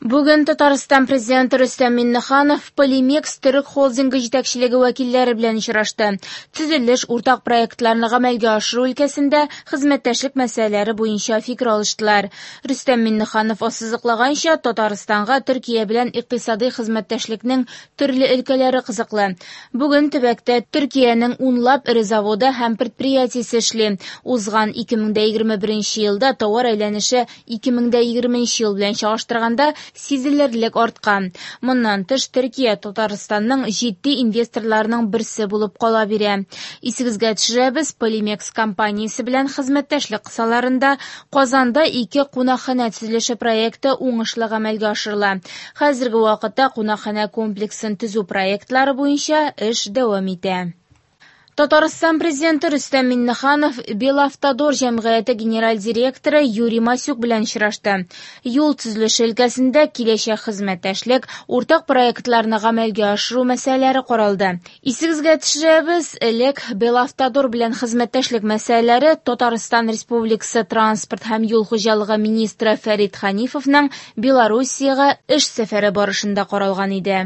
Бүген Татарстан Президенты Рөстәм Миңнеханов Полимекс төрек холдингы җитәкчелеге вәкилләре белән очрашты. Төзелеш, уртак проектларны гамәлгә ашыру өлкәсендә хезмәттәшлек мәсьәләләре буенча фикер алыштылар. Рөстәм Миңнеханов ассызыклаганча, Татарстанга Төркия белән икътисадый хезмәттәшлекнең төрле өлкәләре кызыклы. Бүген төбәктә Төркиянең унлап эре заводы һәм предприятиесе эшли. Узган 2021 елда товар әйләнеше 2020 ел белән чагыштырганда сизелерлек арткан. Моннан тыш, Төркия Татарстанның җитди инвесторларының берсе булып кала бирә. Исегезгә төшерәбез, Полимекс компаниясе белән хезмәттәшлек кысаларында Казанда ике кунакханә төзелеше проекты уңышлы гамәлгә ашырыла. Хәзерге вакытта кунакханә комплексын төзү проектлары буенча эш дәвам итә. Татарстан Президенты Рөстәм Миңнеханов Белавтодор җәмгыяте генераль директоры Юрий Масюк белән очрашты. Юл төзелеше өлкәсендә киләчәк хезмәттәшлек, уртак проектларны гамәлгә ашыру мәсьәләләре каралды. Исегезгә төшерәбез, элек Белавтодор белән хезмәттәшлек мәсьәләләре Татарстан Республикасы транспорт һәм юл хуҗалыгы министры Фәрит Ханифовның Белоруссиягә эш сәфәре барышында каралган иде.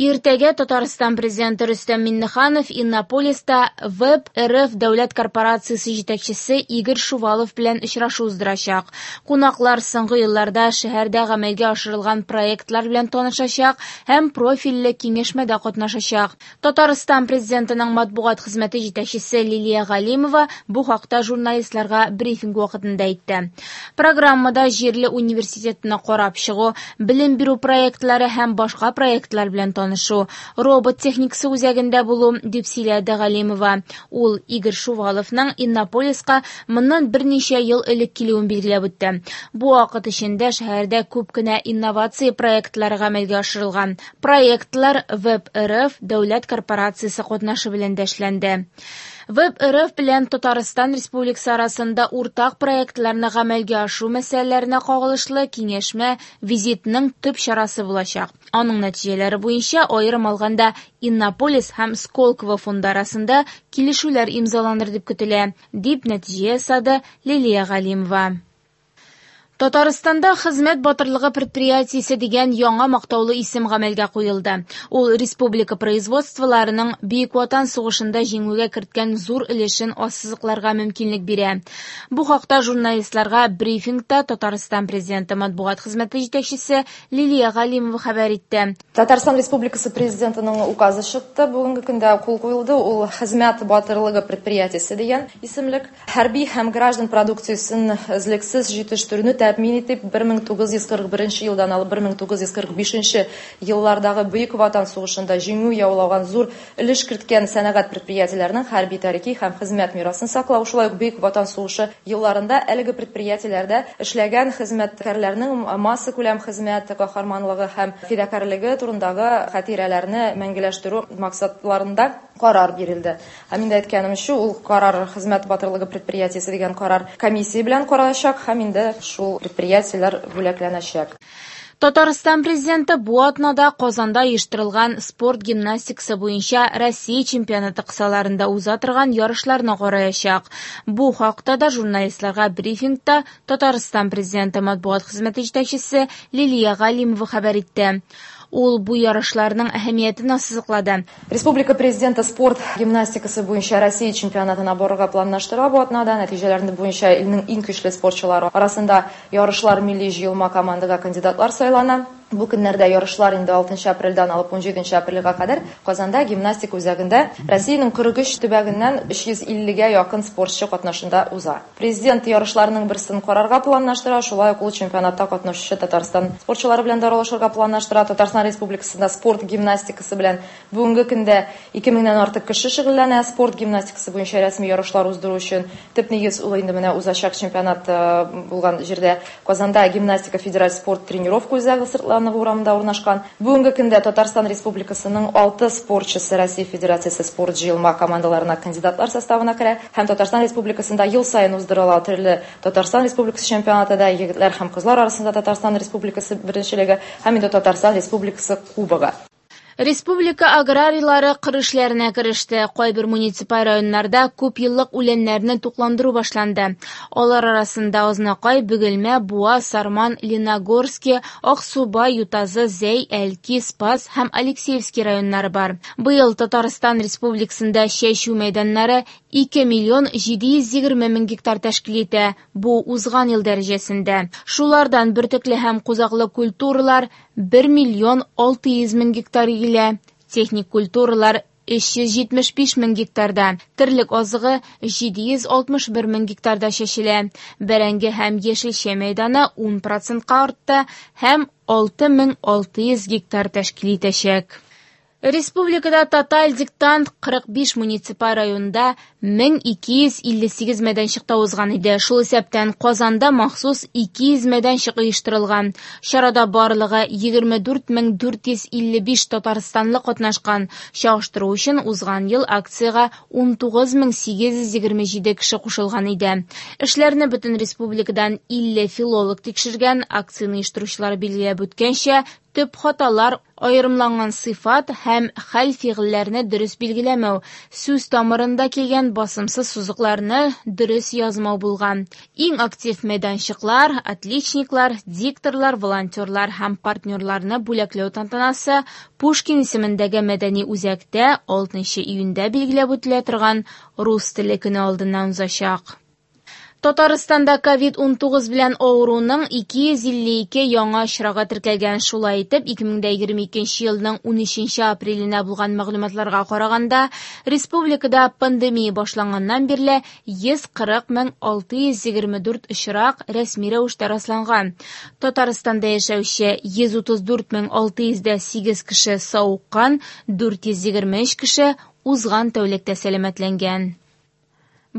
Иртәгә Татарстан Президенты Рөстәм Миңнеханов Иннополиста ВЭБ РФ дәүләт корпорациясе җитәкчесе Игорь Шувалов белән очрашу уздырачак. Кунаклар соңгы елларда шәһәрдә гамәлгә ашырылган проектлар белән танышачак һәм профильле киңәшмәдә катнашачак. Татарстан Президентының матбугат хезмәте җитәкчесе Лилия Галимова бу хакта журналистларга брифинг вакытында әйтте. Программада җирле университетны карап чыгу, белем бирү проектлары һәм башка проектлар белән танышу, робот техникасы үзәгендә булу, дип сөйләде Галимова. Ул Игорь Шуваловның Иннополиска моннан берничә ел элек килүен билгеләп үтте. Бу вакыт эчендә шәһәрдә күп кенә инновация проектлары гамәлгә ашырылган. Проектлар ВЭБ РФ дәүләт корпорациясе катнашы белән дә эшләнде. ВЭБ РФ белән Татарстан Республикасы арасында уртак проектларны гамәлгә ашыру мәсьәләләренә кагылышлы киңәшмә визитның төп чарасы булачак. Аның нәтиҗәләре буенча аерым алганда Иннополис һәм Сколково фонды арасында килешүләр имзаланыр дип көтелә, дип нәтиҗә ясады Лилия Галимова. Татарстанда Хезмәт батырлыгы предприятиесе дигән яңа мактаулы исем гамәлгә куелды. Ул республика производстволарының Бөек Ватан сугышында җиңүгә керткән зур өлешен ассызыкларга мөмкинлек бирә. Бу хакта журналистларга брифингта Татарстан Президенты матбугат хезмәте җитәкчесе Лилия Галимова хәбәр итте. Татарстан Республикасы Президентының указы чыкты. Бүгенге көндә кул куелды. Ул Хезмәт батырлыгы предприятиесе дигән исемлек. Хәрби һәм граждан продукциясен өзлексез җитештерүне тәэмин итеп, 1941 елдан алып 1945 еллардагы Бөек Ватан сугышында җиңү яулаган зур өлеш керткән сәнәгать предприятиеләренең хәрби тарихи һәм хезмәт мирасын саклау, шулай ук Бөек Ватан сугышы елларында әлеге предприятиеләрдә эшләгән хезмәткәрләрнең массакүләм хезмәт каһарманлыгы һәм фидакарьлеге турындагы хатирәләрне мәңгеләштерү максатларында карар бирелде. Һәм инде әйткәнемчә, ул карар Хезмәт батырлыгы предприятиесе дигән карар комиссия белән каралачак һәм инде шул предприятиеләр бүләкләнәчәк. Татарстан Президенты бу атнада Казанда оештырылган спорт гимнастикасы буенча Россия чемпионаты кысаларында уза торган ярышларны караячак. Бу хакта да журналистларга брифингта Татарстан Президенты матбугат хезмәте җитәкчесе Лилия Галимова хәбәр итте. Ул бу ярышларның әһәмиятен ассызыклады. Республика Президенты спорт гимнастикасы буенча Россия чемпионатына барырга планлаштыра бу атнада. Нәтиҗәләрне буенча илнең иң көчле спортчылары арасында ярышлар милли җыелма командага кандидатлар сайлана. Бу көннәрдә ярышлар инде 6 апрельдән алып 17 апрельгә кадәр Казанда гимнастика үзәгендә Россиянең 43 төбәгеннән 350-гә якын спортчы катнашында уза. Президент ярышларның берсен карарга планлаштыра, шулай ук ул чемпионатта катнашучы Татарстан спортчылары белән дә аралашырга планлаштыра. Татарстан Республикасында спорт гимнастикасы белән бүгенге көндә 2000-нән артык кеше шөгыльләнә. Спорт гимнастикасы буенча рәсми ярышлар уздыру өчен төп нигез ул инде менә узачак чемпионат булган җирдә Казанда гимнастика федераль спорт тренировка үзәге Сыртланова урамында урнашкан. Бүгенге көндә Татарстан Республикасының 6 спортчысы Россия Федерациясе спорт җыелма командаларына кандидатлар составына керә һәм Татарстан Республикасында ел саен уздырыла төрле Татарстан Республикасы чемпионаты да егетләр һәм кызлар арасында Татарстан Республикасы беренчелеге һәм инде Татарстан Республикасы кубогы. Республика аграрийлары кыр эшләренә кереште. Кайбер муниципаль районнарда күпьеллык үләннәрне тукландыру башланды. Алар арасында Азнакай, Бөгелмә, Буа, Сарман, Лениногорски, Аксубай, Ютазы, Зәй, Әлки, Спас һәм Алексеевский районнары бар. Быел Татарстан Республикасында чәчү мәйданнары 2 миллион 720 мең гектар тәшкил итә. Бу узган ел дәрәҗәсендә. Шулардан бөртекле һәм кузаклы культуралар 1 миллион 600 мең гектар игелә. Техник культуралар 375 мең гектарда, терлек азыгы 761 мең гектарда чәчелә. Бәрәңге һәм яшелчә мәйданы 10 процентка артты һәм 6600 гектар тәшкил итәчәк. Республикада тоталь диктант 45 муниципаль районда 1258 мәйданчыкта узган иде. Шул исәптән Казанда махсус 200 мәйданчык оештырылган. Чарада барлыгы 24455 татарстанлы катнашкан. Чагыштыру өчен узган ел акциягә 19827 кеше кушылган иде. Эшләрне бөтен республикадан 50 филолог тикшергән. Акцияне оештыручылар билгеләп үткәнчә, төп хаталар аерымланган сыйфат һәм хәл фигыльләрне дөрес билгеләмәү, сүз тамырында килгән басымсыз сузыкларны дөрес язмау булган. Иң актив мәйданчыклар, отличниклар, дикторлар, волонтерлар һәм партнерларны бүләкләү тантанасы Пушкин исемендәге мәдәни үзәктә 6 июньдә билгеләп үтелә торган Рус теле көне алдыннан узачак. Татарстанда COVID-19 белән авыруның 252 яңа очрагы теркәлгән. Шулай итеп, 2022 елның 13 апреленә булган мәгълүматларга караганда, республикада пандемия башланганнан бирле 140 624 очрак рәсми рәвештә расланган. Татарстанда яшәүче 134 608 кеше савыккан, 423 кеше узган тәүлектә сәламәтләнгән.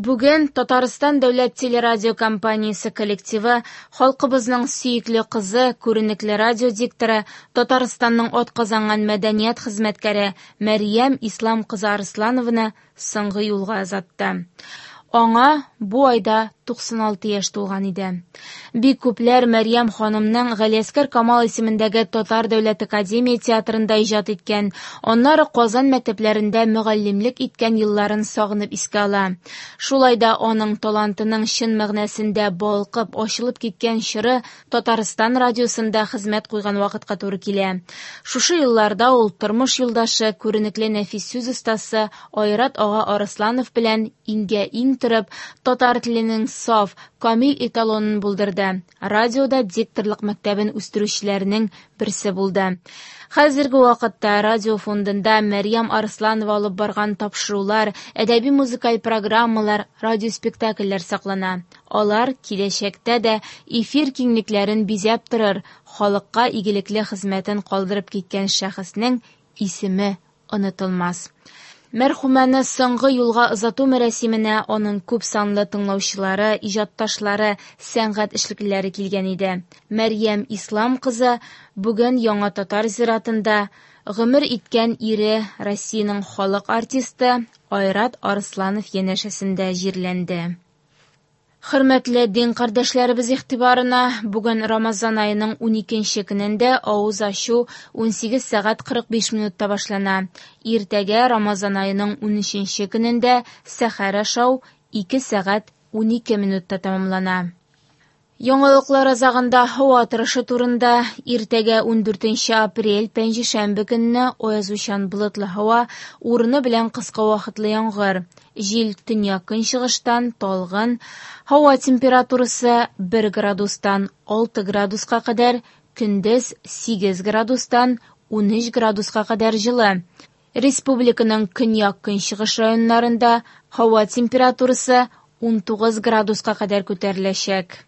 Бүген Татарстан дәүләт телерадиокомпаниясе коллективы халкыбызның сөекле кызы, күренекле радио дикторы, Татарстанның атказанган мәдәният хезмәткәре Мәрьям Ислам кызы Арсланованы соңгы юлга озатты. Аңа бу айда 96 яшь тулган иде. Бик күпләр Мәрьям ханымның Галиәсгар Камал исемендәге Татар дәүләт академия театрында иҗат иткән, аннары Казан мәктәпләрендә мөгаллимлек иткән елларын сагынып искә ала. Шулай да аның талантының чын мәгънәсендә балкып, ачылып киткән чоры Татарстан радиосында хезмәт куйган вакытка туры килә. Шушы елларда ул тормыш юлдашы, күренекле нәфис сүз остасы Айрат ага Арысланов белән иңгә-иң торып, татар теленең саф, камил эталонын булдырды. Радиода дикторлык мәктәбен үстерүчеләрнең берсе булды. Хәзерге вакытта радио фондында Мәрьям Арсланова алып барган тапшырулар, әдәби музыкаль программалар, радиоспектакльләр саклана. Алар киләчәктә дә эфир киңлекләрен бизәп торыр, халыкка игелекле хезмәтен калдырып киткән шәхеснең исеме онытылмас. Мәрхүмәне соңгы юлга озату мәрасименә аның күп санлы тыңлаучылары, иҗатташлары, сәнгать эшлеклеләре килгән иде. Мәрьям Ислам кызы бүген Яңа Татар зиратында гомер иткән ире Россиянең халык артисты Айрат Арсланов янәшәсендә җирләнде. Хөрмәтле дин кардәшләребез игътибарына, бүген Рамазан аеның 12 көнендә авыз ачу 18 сәгать 45 минутта башлана. Иртәгә Рамазан аеның 13 көнендә сәхәр ашау 2 сәгать 12 минутта тәмамлана. Яңалыклар азагында һава торышы турында. Иртәгә 14 апрель пәнҗешәмбе көнне аязучан болытлы һава, урыны белән кыска вакытлы яңгыр. Җил төньяк-көнчыгыштан талгын, һава температурасы 1 градустан 6 градуска кадәр, көндез 8 градустан 13 градуска кадәр җылы. Республиканың көньяк-көнчыгыш районнарында һава температурасы 19 градуска кадәр күтәреләчәк.